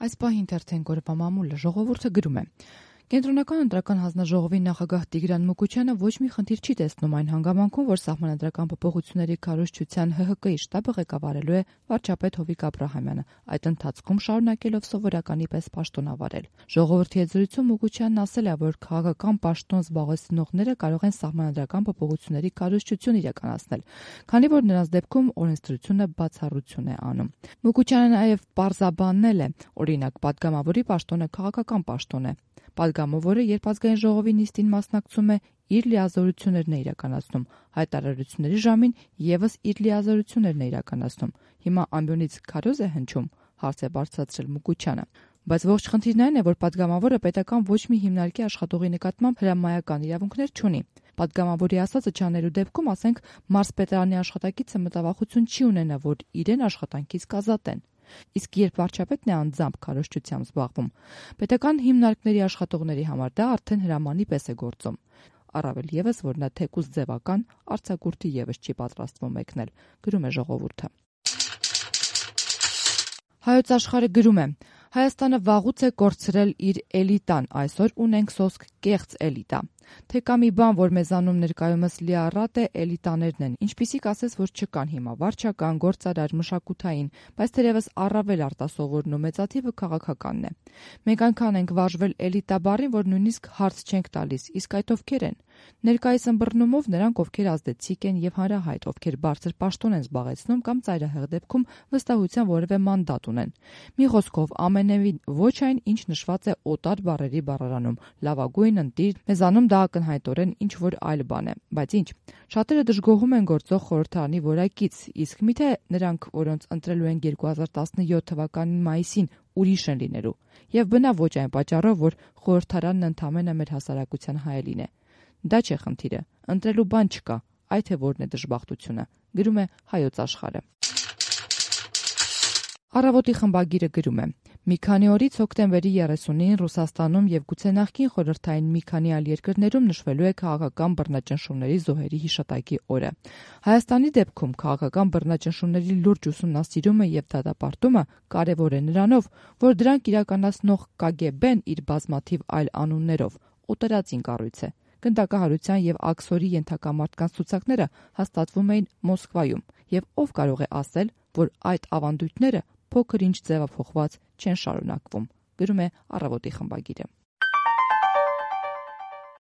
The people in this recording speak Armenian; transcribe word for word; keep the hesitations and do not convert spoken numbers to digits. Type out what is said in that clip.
Այս պահին թերթեն օրվա մամուլը ժողովուրդը գրում է. Կենտրոնական ընտրական հանձնաժողովի նախագահ Տիգրան Մուկուչյանը ոչ մի խնդիր չի տեսնում այն հանգամանքում, որ սահմանադրական փոփոխությունների քարոզչության Հ Հ Կի շտաբը ղեկավարելու է վարչապետ Հովիկ Աբրահամյանը, այդ ընթացքում շարունակելով սովորականի պես պաշտոնավարել։ Ժողովրդի հետ զրույցում Մուկուչյանն ասել է, որ քաղաքական պաշտոն զբաղեցնողները կարող են սահմանադրական փոփոխությունների քարոզչություն իրականացնել, քանի որ նրանց դեպքում օրենսդրությունը բացառություն է անում։ Մուկուչյանը նաև պարզաբանել է, օրինակ, падգամավորի պաշտոնը քաղաքական պաշտոն է։ Պատգամավորը, երբ ազգային ժողովի նիստին մասնակցում է, իր լիազորություններն է իրականացնում, հայտարարությունների ժամին եւս իր լիազորություններն է իրականացնում։ Հիմա ամբյոնից քարոզ է հնչում, հարց է բարձրացրել Մուկուչյանը։ Բայց ողջ խնդիրն այն է, որ падգամավորը պետական ոչ մի հիմնարկի աշխատողի նկատմամբ հրամայական իրավունքներ չունի։ Պատգամավորի ասածը չանելու դեպքում, ասենք, մարզպետարանի աշխատակիցը մտավախություն չի ունենա, որ իրեն աշխատանքից կազատեն։ Իսկ երբ վարչապետն է անձամբ քարոզչությամբ զբաղվում, պետական հիմնարկների աշխատողների համար դա արդեն հրամանի պես է գործում։ Առավել եւս, որ նա թեկուզ ձևական արձակուրդի եւս չի պատրաստվում մեկնել, գրում է ժողովուրդը։ Հայոց աշխարհը գրում է. Հայաստանը վաղուց է կորցրել իր էլիտան, այսօր ունենք սոսկ կեղծ էլիտա։ Թե կա մի բան, որ մեզանում ներկայումս լիառատ է, էլիտաներն են, ինչպիսիք ասես, որ չկան հիմա վարչական, գործարար, մշակութային, բայց թերևս առավել արտասովորն ու մեծաթիվը քաղաքականն է։ Մենք այնքան ենք վարժվել էլիտա բառին, որ նույնիսկ հարց չենք տալիս, իսկ այդ ովքեր են։ Ներկայիս ըմբռնումով նրանք, ովքեր ազդեցիկ են եւ հանրահայտ, ովքեր բարձր պաշտոն են զբաղեցնում կամ ծայրահեղ դեպքում վստահության որևէ մանդատ ունեն։ Մի խոսքով, ամենևին ոչ այն, ինչ նշված է օտար բառերի բառարանում, լավագույն, ընտիր, մեզանում դա ակնհայտորեն ինչ որ այլ բան է, բայց ինչ։ Շատերը դժգոհում են գործող խորհրդարանի որակից, իսկ միթե նրանք, որոնց ընտրելու են երկու հազար տասնյոթ թվականի մայիսին, ուրիշ են լինելու։ Եվ բնավ ոչ այն պատճառով, որ խորհրդարանն ընդամենը մեր հասարակության հայելին է։ Դա չէ խնդիրը, ընտրելու բան չկա, այդ է որն է դժբախտությունը, գրում է Հայոց աշխարհը։ Առավոտի խմբագիրը գրում է. Մի քանի օրից հոկտեմբերի երեսունին Ռուսաստանում եւ գուցե նախկին խորհրդային մի քանի այլ երկրներում նշվելու է քաղաքական բռնաճնշումների զոհերի հիշատակի օրը։ Հայաստանի դեպքում քաղաքական բռնաճնշումների լուրջ ուսումնասիրումը եւ դատապարտումը կարեւոր է նրանով, որ դրանք իրականացնող Կ Գ Բ-ն իր բազմաթիվ այլ անուններով օտարածին կառույց է։ Գնդակահարության եւ աքսորի ենթակա մարդկանց ցուցակները հաստատվում էին Մոսկվայում, եւ ով կարող է ասել, որ այդ ավանդույթները փոքր ինչ ձևափոխված չեն շարունակվում, գրում է Առավոտի խմբագիրը։